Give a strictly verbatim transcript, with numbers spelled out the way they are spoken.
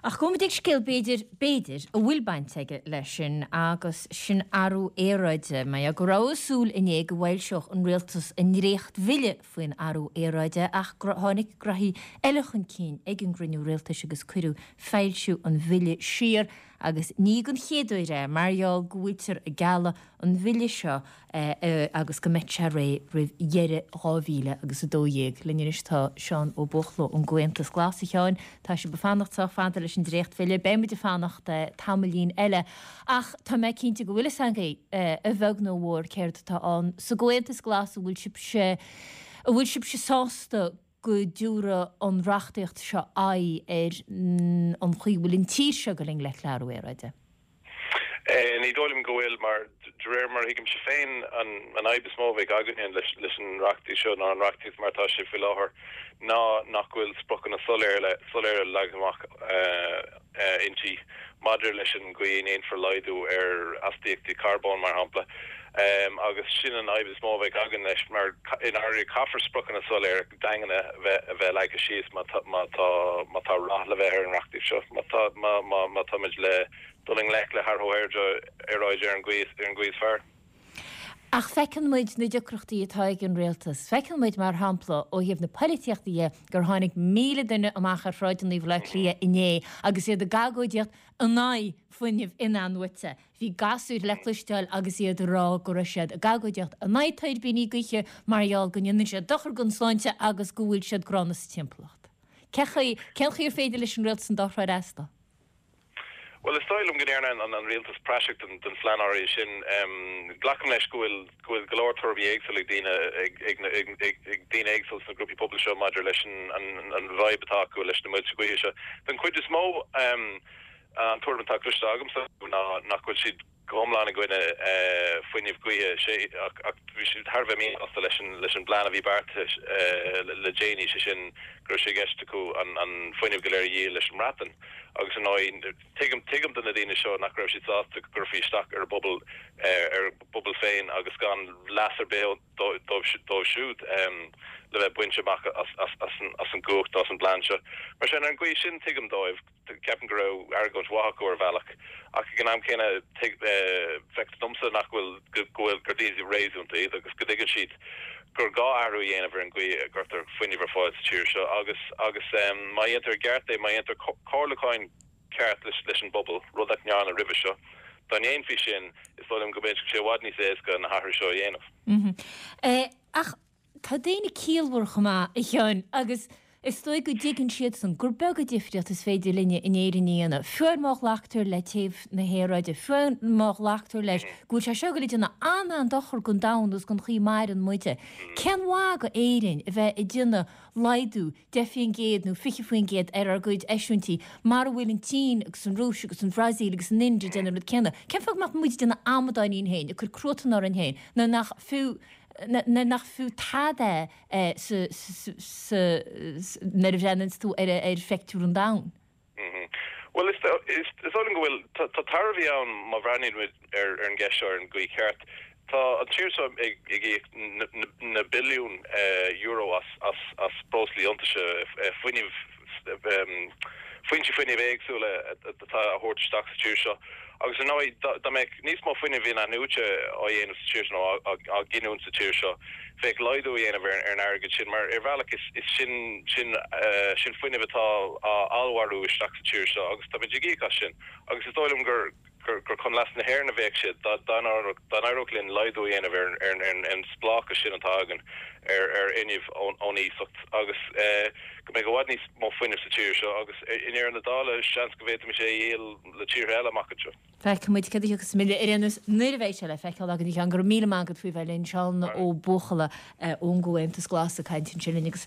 Ach gabhfaidh muid ag scéal b'fhéidir, b'fhéidir, a bhfuil baint aige leis sin agus sin athrú aeráide. Mar gheall go rabhthas ag súil inné go bhfoilseodh an rialtas a ndréacht-bhille faoin athrú aeráide ach tháinig graithí eile chun cinn ag an gcruinniú rialtais agus cuireadh foilsiú an bhille siar agus ní den chéad uair é mar gheall go bhfuiltear ag gealladh an bhille seo agus go mbeidh sé réidh roimh dheireadh dhá mhíle agus a dó dhéag. Linn anois tá Seán Ó Buachalla ón gComhaontas Glas. A Sheáin, tá sibh ag fanacht sách fada leis an dréachtbhille, beidh muid ag fanacht tamaillín eile ach tá mé cinnte go bhfuil fhios agaibh a bheag nó a mhór céard atá ann sa gComhaontas Glas, an bhfuil sibhse, an bhfuil sibhse sásta go dtabharfaidh an reachtaíocht seo aghaidh ar an chaoi a bhfuil an tír seo ag dul i ngleic le athrú aeráide? Ní dóigh liom go bhfuil, mar de réir mar a thuigimse féin, an fhadhb is mó a bheidh againne leis an reachtaíocht seo, nó an reachtaíocht mar atá sé faoi láthair, ná nach bhfuil spriocanna soiléire leagtha amach inti maidir leis an gcaoi a ndéanfar laghdú ar astaíochtaí carbóin, mar shampla. Agus sin an fhadhb is mó a bheidh againn leis, mar i ndáiríre caithfear spriocanna soiléire daingne a bheith leagtha síos má tá rath le bheith ar an reachtaíocht seo, má táimid le dul i ngleic le hathrú aeráide ar an gcaoi is fearr. Ach feiceann muid na deacrachtaí atá ag an rialtas. Feiceann muid, mar shampla, ó thaobh na poilitíochta dhe, gur tháinig míle duine amach ar shráideanna Bhaile Átha Cliath inné agus iad ag agóidíocht in aghaidh fuinneamh in-athnuaite. Bhí gasúir le cloisteáil agus iad ag rá go raibh siad ag agóidíocht in aghaidh tuirbíní gaoithe mar gheall go ndéanann siad dochar don tsláinte agus go bhfuil siad gránna sa timpeallacht. Cén chaoi, cén chaoi ar féidir leis an rialtas an dá thrá a fhreastal? Bhuel, is dóigh liom go ndearna an rialtas praiseach den phlean áirithe sin. Glacaim leis go bhfuil go bhfuil go leor tuairimí éagsúla ag daoine ag ag daoine éagsúla sna grúpaí pobail seo maidir leis an an bhfadhb atá acu leis na muilte gaoithe seo. Den chuid is mó, an tuairim atá cloiste agamsa ná nach bhfuil siad go hiomlán i gcoinne fuinneamh gaoithe, sé, ach bhí siad thar a bheith míshásta leis an leis an bplean a bhí beartaithe le déanaí, sé sin go raibh sé i gceist acu an an fuinneamh go léir a dhíol leis an mBreatain. Agus ar ndóigh, tuigim tuigim do na daoine seo nach raibh siad sásta go gcuirfí isteach ar a bpobal ar a bpobal féin agus gan leas ar bith dóibh dóibh siúd le bheith bainte amach as as as an as an gcumhacht nó as an bplean seo. Mar sin, ar an gcaoi sin, tuigim dóibh. Ceapaim go raibh argóint mhaith acu ar bhealach, ach ag an am céanna feictear domsa nach bhfuil, go bhfuil, gur daoine réasúnta iad agus go dtuigeann siad gur gá athrú a dhéanamh ar an gcaoi a gcuirtear fuinneamh ar fáil sa tír seo agus agus má dhéantar i gceart é, má dhéantar comhairliúcháin ceart leis leis an bpobal, rud nach ndearnadh roimhe seo, dá ndéanfaí sin, is dóigh liom go mbeadh sé i bhfad níos éasca na hathruithe seo a dhéanamh. Ach Tá daoine ciallmhar chomh maith, a Sheáin, agus is dóigh go dtuigeann siadsan gur beag an difríocht is féidir linne in Éirinn a dhéanamh, fiú má ghlactar le téamh na haeráide, fiú má ghlactar leis go bhfuil sé seo ag dul ag déanamh an-an-dochar don domhan agus don chaoi a maireann muide. Cén mhaith do Éirinn a bheith ag déanamh laghdú deich faoin gcéad nó fiche faoin gcéad ar ár gcuid eisiúintí, mara bhfuil an tSín agus an Rúis agus an Bhrasaíl agus an Ind ag déanamh an rud céanna? Cén fáth go mbeadh muid ag déanamh amadáin dínn féin, ag cur cruatan orainn féin, nuair nach fiú nuair nach fiú tada é nuair a bhreathnaíonns tú ar ar phictiúr an domhain. Bhuel, is dóigh liom go bhfuil, tá tairbhí ann má bhreathnaíonn muid ar an gceist seo ar an gcaoi cheart. Tá an tír seo ag íoc na billiúin euro as breoslaí iontaise, fuinneamh, foinsí fuinnimh éagsúla atá á thabhairt isteach sa tír seo agus ar ndóigh dá mbeadh níos mó fuinnimh in-athnuaite á dhéanamh sa tír seo nó á ghiniúint sa tír seo bheadh laghdú á dhéanamh ar an airgead sin mar ar bhealach is sin sin sin fuinneamh atá á allmhairiú isteach sa tír seo agus táimid ag íoc as sin agus is dóigh liom gur gur chun leas na hÉireann a bheadh sé dá n-éireodh linn laghdú a dhéanamh ar an spleáchas sin atá againn ar fhuinneamh ón iasacht agus go mbeadh i bhfad níos mó fuinnimh sa tír seo agus i ndeireadh na dála seans go bhféadfaimis é a dhíol le tíortha eile amach anseo. Feicfidh muid céard a thiocfas sa mbille ar aon nós nuair a bheidh sé le feiceáil againn. A Sheáin, go raibh míle maith agat faoi bheith linn. Seán Ó Buachalla ón gComhaontas Glas ag caint ansin linn agus.